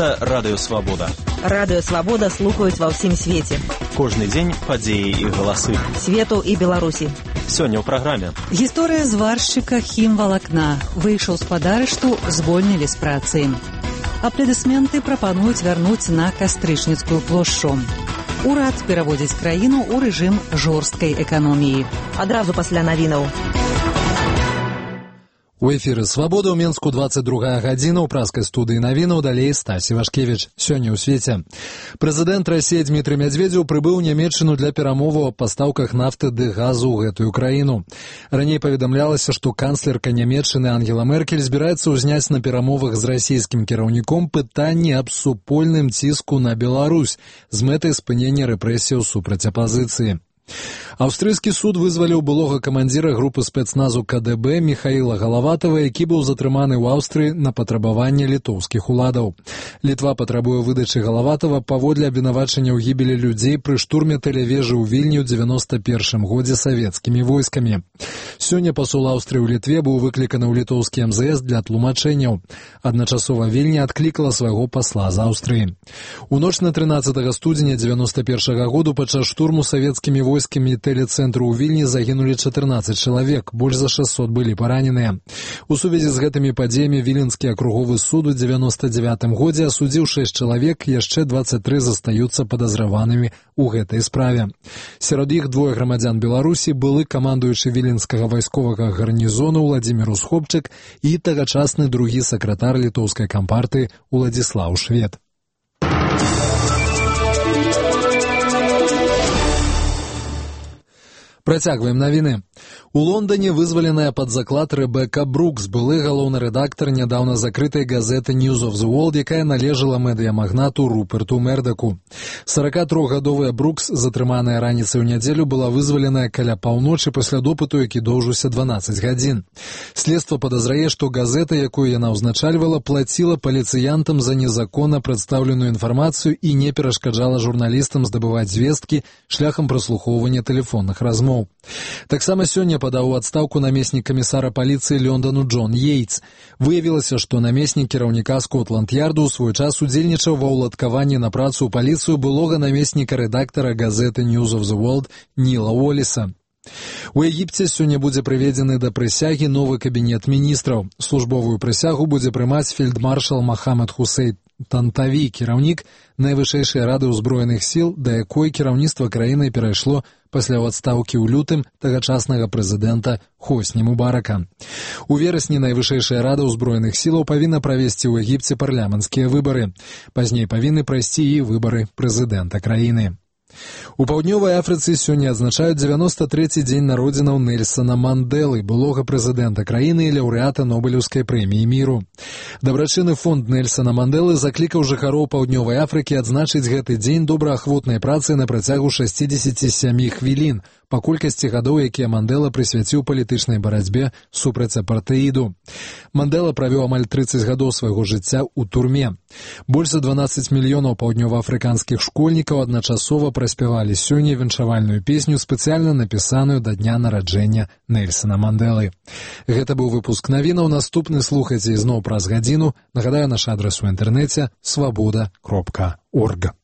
Гэта Радыё Свабода. Радыё Свабода слухаюць ва ўсім свеце. Кожны дзень падзеі і галасы. Свету і Беларусі. Сёння ў праграме. Гісторыя зваршчыка хімвалакна. Выйшаў з-пад арышту, звольнілі з працы. Апладысменты прапануюць вярнуць на Кастрычніцкую плошчу. Урад пераводзіць краіну ў рэжым жорсткай эканоміі. Адразу пасля навінаў. У эфіры «Свабода» ў Менску 22 гадзіна. У праскай студыі навінаў далей Стась Івашкевіч. Сёння ў свеце. Прэзідэнт Расіі Дмітрый Мядзведзеў прыбыў у Нямецчыну для перамоваў аб пастаўках нафты ды газу ў гэтую краіну. Раней паведамлялася, што канцлерка Нямецчыны Ангела Меркель збіраецца ўзняць на перамовах з расійскім кіраўніком пытанне аб супольным ціску на Беларусь з мэтай спынення рэпрэсіяў супраць апазіцыі. Аўстрыйскі суд вызваліў былога камандзіра групы спецназу КДБ Михаіла Галаватава, які быў затрыманы ў Аўстрыі на патрабаванне літоўскіх уладаў. Літва патрабуе выдачы Галаватава паводле абвінавачання ў гібелі людзей пры штурме тэлевежы ў Вільні ў 91 годзе савецкімі войскамі. Сёння пасол Аўстрыі ў Літве быў выкліканы ў літоўскі МЗС для тлумачэнняў. Адначасова Вільня адклікала свайго пасла з Аўстрыі. У ноч на 13 студзеня 91 году падчас штурму савецкімі войскамі тэлецэнтру ў Вільні загінулі 14 чалавек, больш за 600 былі параненыя. У сувязі з гэтымі падзеямі Віленскі акруговы суд у 99 годзе асудзіў 6 чалавек, яшчэ 23 застаюцца падазраванымі ў гэтай справе. Сярод іх двое грамадзян Беларусі, былы камандуючы віленскага вайсковага гарнізону Владзімір Усхопчык і тагачасны другі сакратар літоўскай кампартыі Уладзіслаў Швед. Працягваем навіны. У Лондоне вызваленая пад заклад Рэбека Брукс, былы галоўны рэдактар нядаўна закрытай газеты News of the World, якая належала медыямагнату Руперту Мердаку. 43-гадовая Брукс, затрыманая раніцай у нядзелю, была вызваленая каля паўночы пасля допыту, які доўжыўся 12 гадзін. Следства падазрае, што газета, якую яна ўзначальвала, плаціла паліцыянтам за незаконна прадстаўленую інфармацыю і не перашкаджала журналістам здабываць звесткі шляхам праслухоўвання тэлефонных размоў. Таксама сёння падаў у адстаўку намеснік камісара паліцыі Лондану Джон Йейтс. Выявілася, што намеснік кіраўніка Скотланд-Ярду ў свой час удзельнічаў ва ўладкаванні на працу ў паліцыю былога намесніка рэдактара газеты News of the World Ніла Уолліса. У Егіпце сёння будзе прыведзены да прысягі новы кабінет міністраў. Службовую прысягу будзе прымаць фельдмаршал Махамед Хусейн Тантаві, кіраўнік найвышэйшай рады ўзброеных сіл, да якой кіраўніцтва краіны перайшло пасля адстаўкі ў лютым тагачаснага прэзідэнта Хосні Мубарака. У верасні найвышэйшая рада ўзброеных сілаў павінна правесці ў Егіпце парламенцкія выбары. Пазней павінны прайсці і выбары прэзідэнта краіны. У Паўднёвай Афрыцы сёння адзначаюць 93-й дзень народзінаў Нельсана Мандэлы, былога прэзідэнта краіны і лаўрэата Нобелеўскай прэміі міру. Дабрачынны фонд Нельсана Мандэлы заклікаў жыхароў Паўднёвай Афрыкі адзначыць гэты дзень добраахвотнай працы на працягу 67 хвілін, па колькасці гадоў, якія Мандэла прысвяціў палітычнай барацьбе супраць апартэіду. Мандэла правёў амаль 30 гадоў свайго жыцця ў турме. Больш за 12 мільёнаў паўднёваафрыканскіх школьнікаў адначасова праспявалі сёння віншавальную песню, спецыяльна напісаную да дня нараджэння Нельсана Мандэлы. Гэта быў выпуск навінаў. Наступны слухайце ізноў праз гадзіну. Нагадаю, наш адрас у інтэрнэце свабода.орг.